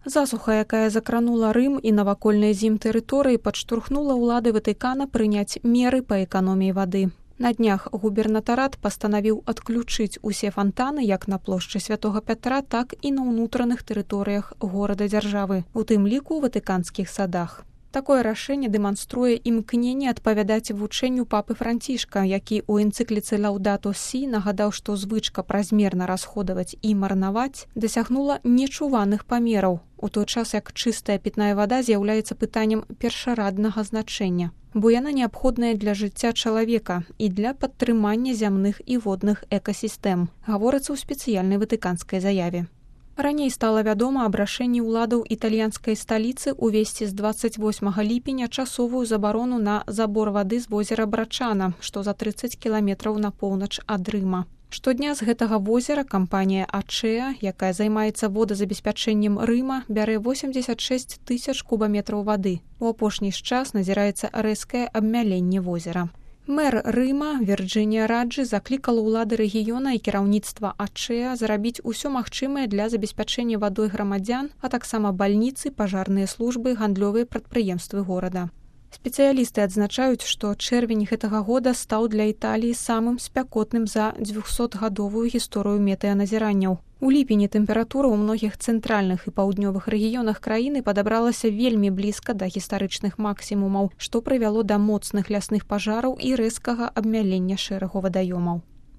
Засуха, якая закранула Рым і навакольныя з ім тэрыторыі, падштурхнула ўлады Ватыкана прыняць меры па эканоміі вады. На днях губернатарат пастанавіў адключыць усе фантаны як на плошчы Святога Пятра, так і на ўнутраных тэрыторыях горада-дзяржавы, у тым ліку ў ватыканскіх садах. Такое рашэнне дэманструе імкненне адпавядаць вучэнню папы Францішка, які ў энцыкліцы «Лаўдату Сі» нагадаў, што звычка празмерна расходаваць і марнаваць дасягнула нечуваных памераў, у той час як чыстая пітная вада з'яўляецца пытаннем першараднага значэння, бо яна неабходная для жыцця чалавека і для падтрымання зямных і водных экасістэм, гаворыцца ў спецыяльнай ватыканскай заяве. Раней стала вядома аб рашэнні ўладаў італьянскай сталіцы увесці з 28 ліпеня часовую забарону на забор вады з возера Брачана, што за 30 кіламетраў на поўнач ад Рыма. Штодня з гэтага возера кампанія «Ачеа», якая займаецца водазабеспячэннем Рыма, бярэ 86 тысяч кубаметраў вады. У апошні час назіраецца рэзкае абмяленне возера. Мэр Рыма Вірджынія Раджы заклікала ўлады рэгіёна і кіраўніцтва «Ачеа» зрабіць усё магчымае для забеспячэння вадой грамадзян, а таксама бальніцы, пажарныя службы, гандлёвыя прадпрыемствы горада. Спецыялісты адзначаюць, што чэрвень гэтага года стаў для Італіі самым спякотным за 200-гадовую гісторыю метэаназіранняў. У ліпені тэмпература ў многіх цэнтральных і паўднёвых рэгіёнах краіны падабралася вельмі блізка да гістарычных максімумаў, што прывяло да моцных лясных пажараў і рэзкага абмялення шэрагу вадаёмаў.